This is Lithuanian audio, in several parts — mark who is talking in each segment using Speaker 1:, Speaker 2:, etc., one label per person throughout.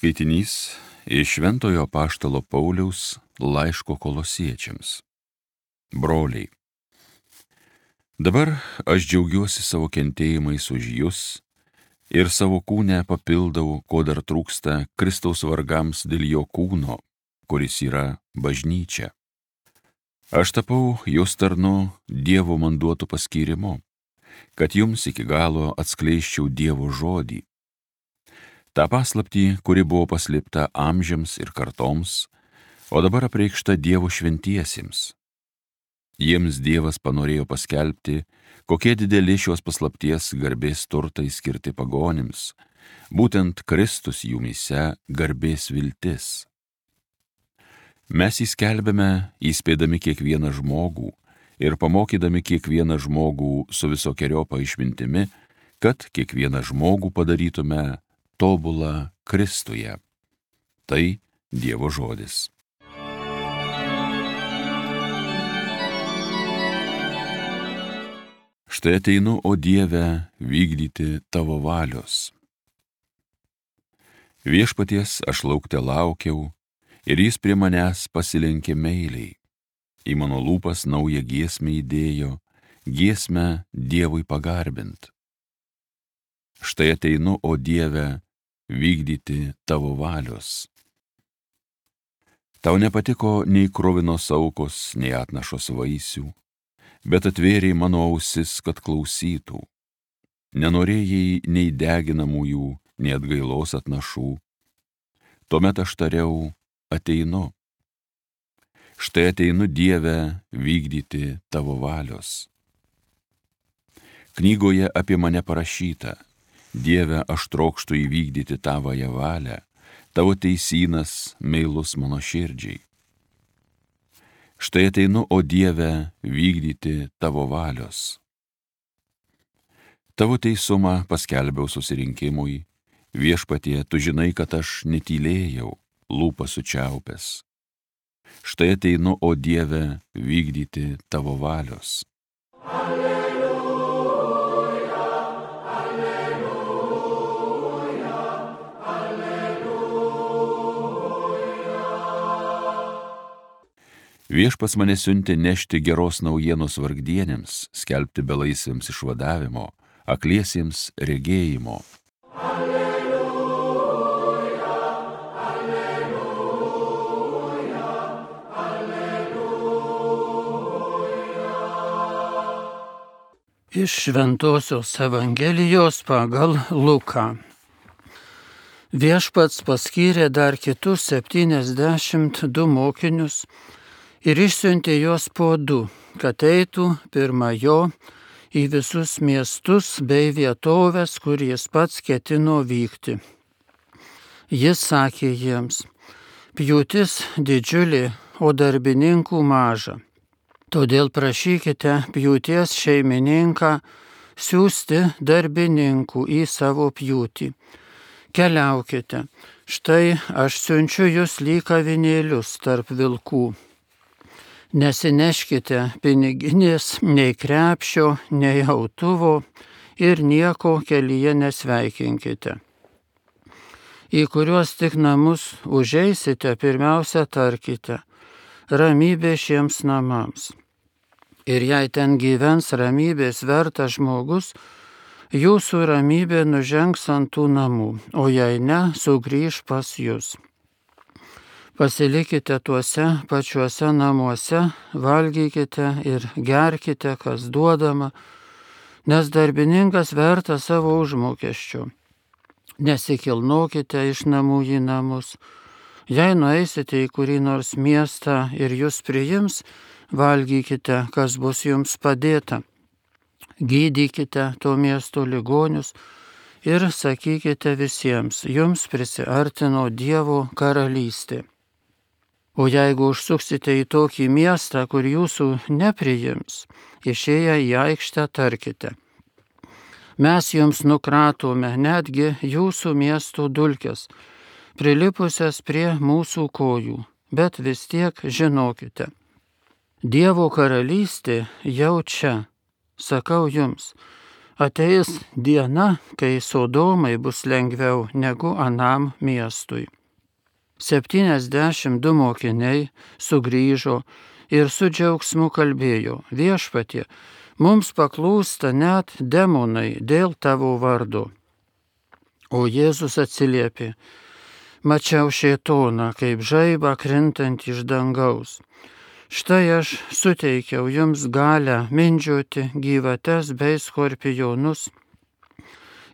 Speaker 1: Skaitinys iš Šventojo Apaštalo Pauliaus laiško Kolosiečiams. Broliai, dabar aš džiaugiuosi savo kentėjimais už jus ir savo kūne papildau, ko dar trūksta Kristaus vargams dėl jo kūno, kuris yra bažnyčia. Aš tapau jos tarnu Dievo man duotu paskyrimu, kad jums iki galo atskleisčiau Dievo žodį. Ta paslaptį, kuri buvo paslėpta amžiams ir kartoms, o dabar apreikšta Dievo šventiesiems. Jiems Dievas panorėjo paskelbti, kokie dideli šios paslapties garbės turtai skirti pagonims, būtent Kristus jumyse garbės viltis. Mes įskelbėme, įspėdami kiekvieną žmogų ir pamokydami kiekvieną žmogų su visokeriopą išmintimi, kad kiekvieną žmogų padarytume tobulą Kristuje. Tai Dievo žodis. Štai ateinu, o Dieve, vykdyti tavo valios. Viešpaties aš laukte laukiau, ir jis prie manęs pasilenkė meiliai. Į mano lūpas naują giesmę įdėjo, giesmę Dievui pagarbint. Štai ateinu, o Dieve, vykdyti tavo valios. Tau nepatiko nei kruvinos aukos, nei atnašos vaisių, bet atvėrei mano ausis, kad klausytų. Nenorėjai nei deginamųjų, nei atgailos atnašų. Tuomet aš tariau, ateinu. Štai ateinu, Dieve, vykdyti tavo valios. Knygoje apie mane parašyta: Dieve, aš trokštu įvykdyti tavąją valią, tavo teisynas meilus mano širdžiai. Štai ateinu, o Dieve, vykdyti tavo valios. Tavo teisumą paskelbiau susirinkimui, Viešpatie, tu žinai, kad aš netylėjau, lūpas sučiaupęs. Štai ateinu, o Dieve, vykdyti tavo valios. Viešpats mane siuntė nešti geros naujienos vargdienėms, skelbti belaisviams išvadavimo, akliesiems regėjimo. Alleluja, alleluja, alleluja.
Speaker 2: Iš Šventosios Evangelijos pagal Luką. Viešpats paskyrė dar kitus 72 mokinius, ir išsiuntė juos po 2, kad eitų pirma jo į visus miestus bei vietovės, kur jis pats ketino vykti. Jis sakė jiems: pjūtis didžiulė, o darbininkų maža. Todėl prašykite pjūties šeimininką siųsti darbininkų į savo pjūtį. Keliaukite, štai aš siunčiu jūs lyg avinėlius tarp vilkų. Nesineškite piniginės, nei krepšio, nei autuvo ir nieko kelyje nesveikinkite. Į kuriuos tik namus užeisite, pirmiausia tarkite: ramybė šiems namams. Ir jei ten gyvens ramybės vertas žmogus, jūsų ramybė nužengs ant tų namų, o jei ne, sugrįš pas jus. Pasilikite tuose pačiuose namuose, valgykite ir gerkite, kas duodama, nes darbininkas vertas savo užmokesčio. Nesikilnokite iš namų į namus. Jei nueisite į kurį nors miestą ir jūs priims, valgykite, kas bus jums padėta. Gydykite to miesto ligonius ir sakykite visiems: jums prisiartino Dievo karalystė. O jeigu užsuksite į tokį miestą, kur jūsų nepriims, išėję į aikštę tarkite: mes jums nukratome netgi jūsų miesto dulkes, prilipusias prie mūsų kojų, bet vis tiek žinokite: Dievo karalystė jau čia. Sakau jums, ateis diena, kai Sodomai bus lengviau negu anam miestui. 72 mokiniai sugrįžo ir su džiaugsmu kalbėjo: Viešpatie, mums paklūsta net demonai dėl tavo vardo. O Jėzus atsiliepė: Mačiau šėtoną kaip žaibą krintant iš dangaus. Štai aš suteikiau jums galią mindžioti gyvates bei skorpionus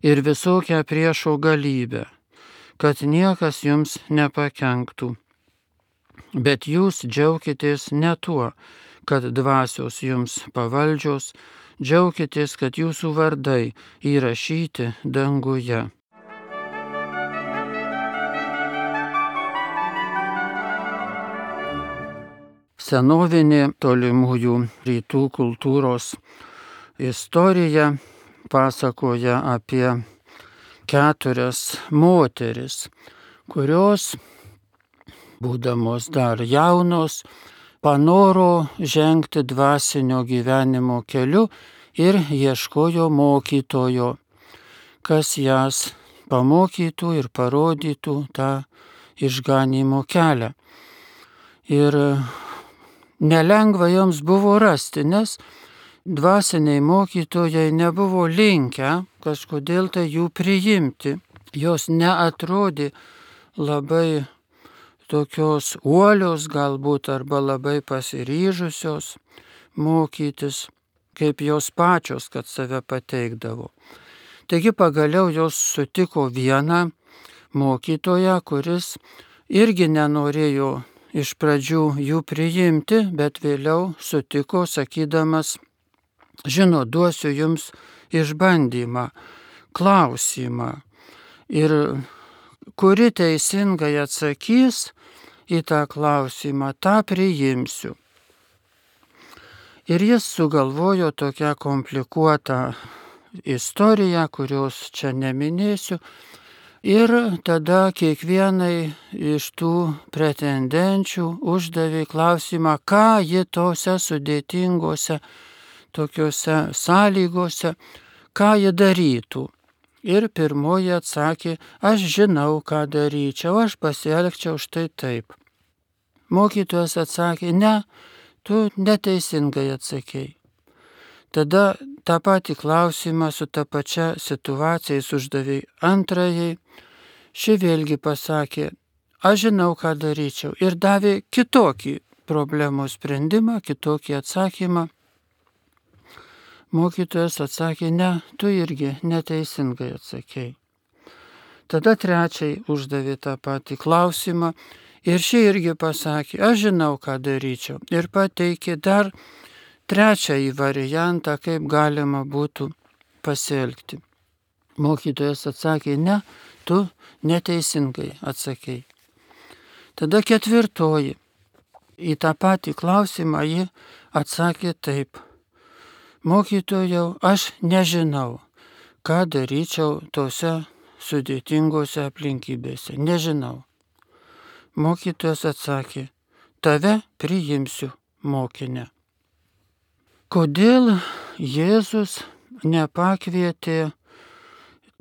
Speaker 2: ir visokią priešo galybę, kad niekas jums nepakenktų. Bet jūs džiaukitės ne tuo, kad dvasios jums pavaldžios, džiaukitės, kad jūsų vardai įrašyti danguje. Senovinė tolimųjų rytų kultūros istorija pasakoja apie 4 moteris, kurios, būdamos dar jaunos, panoro žengti dvasinio gyvenimo keliu ir ieškojo mokytojo, kas jas pamokytų ir parodytų tą išganymo kelią. Ir nelengva joms buvo rasti, nes dvasiniai mokytojai nebuvo linkę kažkodėl tai jų priimti. Jos neatrodė labai tokios uolios galbūt arba labai pasiryžusios mokytis, kaip jos pačios, kad save pateikdavo. Taigi pagaliau jos sutiko vieną mokytoją, kuris irgi nenorėjo iš pradžių jų priimti, bet vėliau sutiko, sakydamas: žinot, duosiu jums išbandymą, klausimą. Ir kuri teisingai atsakys į tą klausimą, tą priimsiu. Ir jis sugalvojo tokią komplikuotą istoriją, kurios čia neminėsiu. Ir tada kiekvienai iš tų pretendenčių uždavė klausimą, ką ji tose sudėtingose tokiuose sąlygose, ką ji darytų. Ir pirmoji atsakė: aš žinau, ką daryčiau, aš pasielgčiau štai taip. Mokytojas atsakė: ne, tu neteisingai atsakei. Tada tą patį klausimą su ta pačia situacija uždavė antrajai. Ši vėlgi pasakė: aš žinau, ką daryčiau. Ir davė kitokį problemos sprendimą, kitokį atsakymą. Mokytojas atsakė: ne, tu irgi neteisingai atsakei. Tada trečiai uždavė tą patį klausimą. Ir ši irgi pasakė: aš žinau, ką daryčiau. Ir pateikė dar trečiąjį variantą, kaip galima būtų pasielgti. Mokytojas atsakė: ne, tu neteisingai atsakei. Tada ketvirtoji. Į tą patį klausimą ji atsakė taip: mokytojau, aš nežinau, ką daryčiau tose sudėtingose aplinkybėse. Nežinau. Mokytojas atsakė: tave priimsiu mokinę. Kodėl Jėzus nepakvietė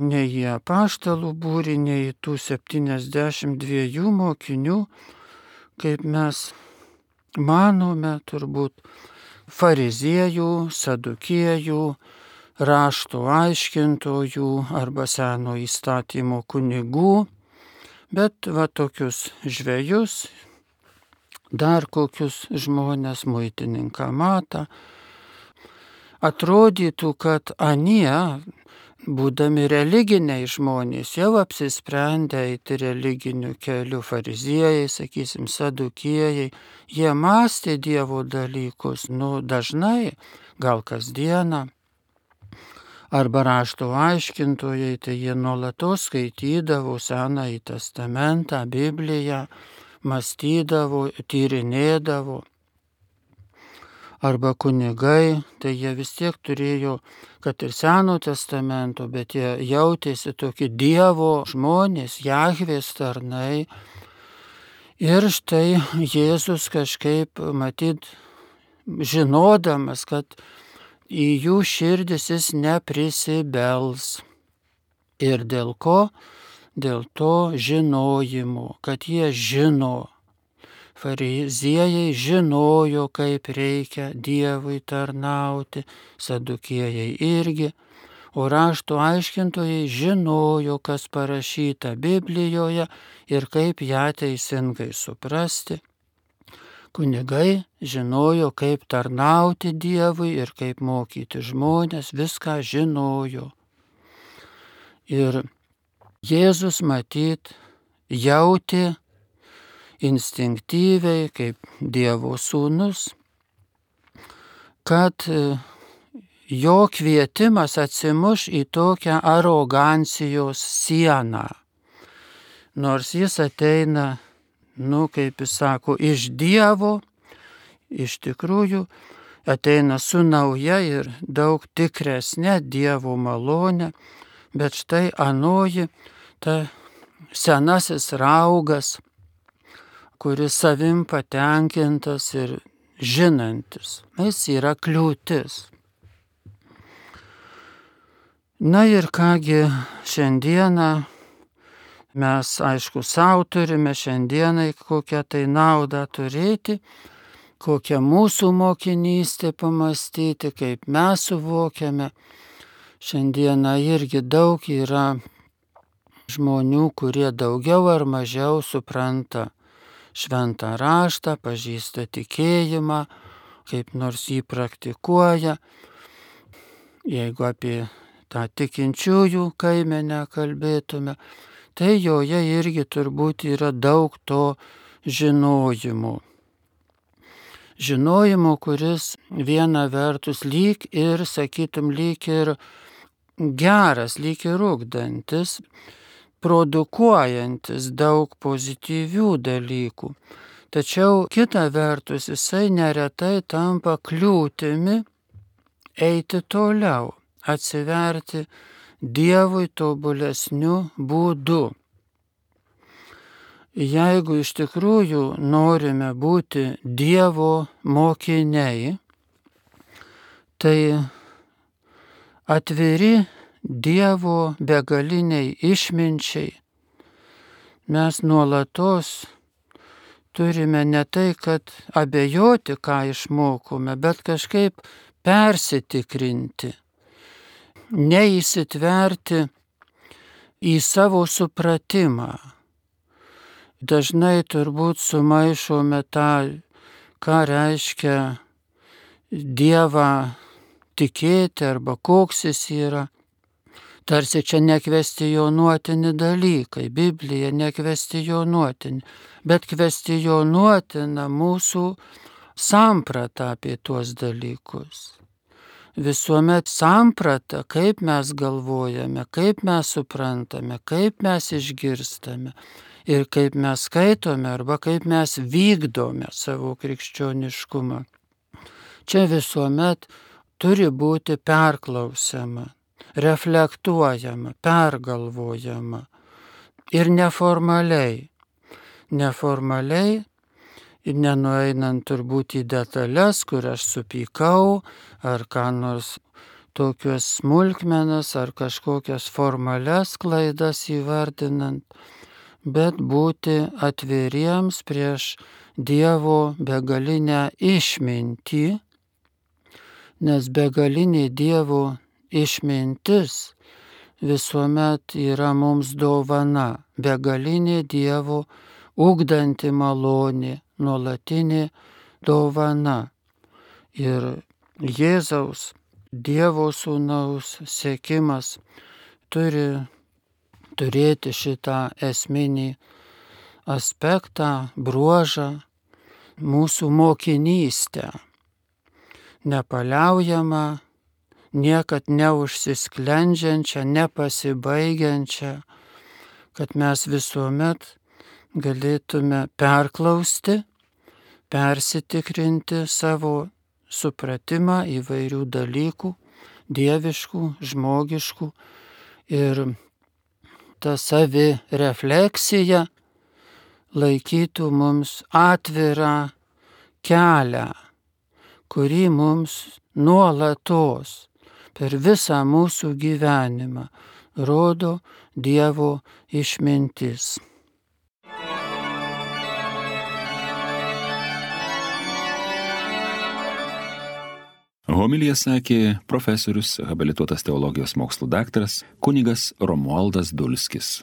Speaker 2: nei į apaštalų būrį, nei į tų 72 mokinių, kaip mes manome, turbūt fariziejų, sadukiejų, rašto aiškintojų arba seno įstatymo kunigų, bet va tokius žvejus, dar kokius žmonės, muitininką Matą. Atrodytų, kad anie, būdami religiniai žmonės, jau apsisprendę eiti religiniu keliu, fariziejai, sakysim, sadukiejai, jie mąstė Dievo dalykus, dažnai, gal kasdieną. Arba rašto aiškintojai, tai jie nuolatos skaitydavo Senąjį testamentą, Bibliją, mąstydavo, tyrinėdavo. Arba kunigai, tai jie vis tiek turėjo, kad ir Seno testamento, bet jie jautėsi tokie Dievo žmonės, Jahvės tarnai. Ir štai Jėzus kažkaip, matyt, žinodamas, kad į jų širdis jis neprisibels. Ir dėl ko dėl to žinojimo, kad jie žino. Fariziejai žinojo, kaip reikia Dievui tarnauti, sadukiejai irgi, o rašto aiškintojai žinojo, kas parašyta Biblijoje ir kaip ją teisingai suprasti. Kunigai žinojo, kaip tarnauti Dievui ir kaip mokyti žmonės, viską žinojo. Ir Jėzus matyt jautė instinktyviai, kaip Dievo sūnus, kad jo kvietimas atsimuš į tokią arogancijos sieną. Nors jis ateina, kaip jis sako, iš Dievo, iš tikrųjų ateina su nauja ir daug tikresnė Dievo malonė, bet štai anoji, ta senasis raugas, kuris savim patenkintas ir žinantis, jis yra kliūtis. Na ir kągi šiandieną mes, aišku, savo turime šiandienai kokią tai naudą turėti, kokią mūsų mokinystę pamastyti, kaip mes suvokiame. Šiandieną irgi daug yra žmonių, kurie daugiau ar mažiau supranta šventą raštą, pažįsta tikėjimą, kaip nors jį praktikuoja. Jeigu apie tą tikinčiųjų kaimenę kalbėtume, tai joje irgi turbūt yra daug to žinojimo. Žinojimo, kuris viena vertus lyg ir, sakytum, lyg ir geras, lyg ir ugdantis, produkuojantis daug pozityvių dalykų. Tačiau kita vertus jisai neretai tampa kliūtimi eiti toliau, atsiverti Dievui tobulesniu būdu. Jeigu iš tikrųjų norime būti Dievo mokiniai, tai atviri Dievo begaliniai išminčiai, mes nuolatos turime ne tai, kad abejoti, ką išmokome, bet kažkaip persitikrinti, neįsitverti į savo supratimą. Dažnai turbūt sumaišome tą, ką reiškia Dievą tikėti arba koks jis yra. Tarsi čia nekvestionuotini dalykai, Biblija nekvestionuotini, bet kvestionuotina mūsų samprata apie tuos dalykus. Visuomet samprata, kaip mes galvojame, kaip mes suprantame, kaip mes išgirstame ir kaip mes skaitome arba kaip mes vykdome savo krikščioniškumą. Čia visuomet turi būti perklausiama, reflektuojama, pergalvojama ir neformaliai. Neformaliai ir nenueinant turbūt į detalės, kur aš supykau, ar ką nors tokios smulkmenas, ar kažkokias formalias klaidas įvardinant, bet būti atviriems prieš Dievo begalinę išmintį, nes begalinė Dievo išmintis visuomet yra mums dovana, begalinė Dievo ugdanti malonė, nuolatinė dovana. Ir Jėzaus, Dievo sūnaus sekimas turi turėti šitą esminį aspektą, bruožą, mūsų mokinystę, nepaliaujamą, niekad neužsisklendžiančią, nepasibaigiančią, kad mes visuomet galėtume perklausti, persitikrinti savo supratimą įvairių dalykų, dieviškų, žmogiškų, ir ta savirefleksija laikytų mums atvirą kelią, kurį mums nuolatos per visą mūsų gyvenimą rodo Dievo išmintis.
Speaker 3: Homiliją sakė profesorius, habilituotas teologijos mokslų daktaras kunigas Romualdas Dulskis.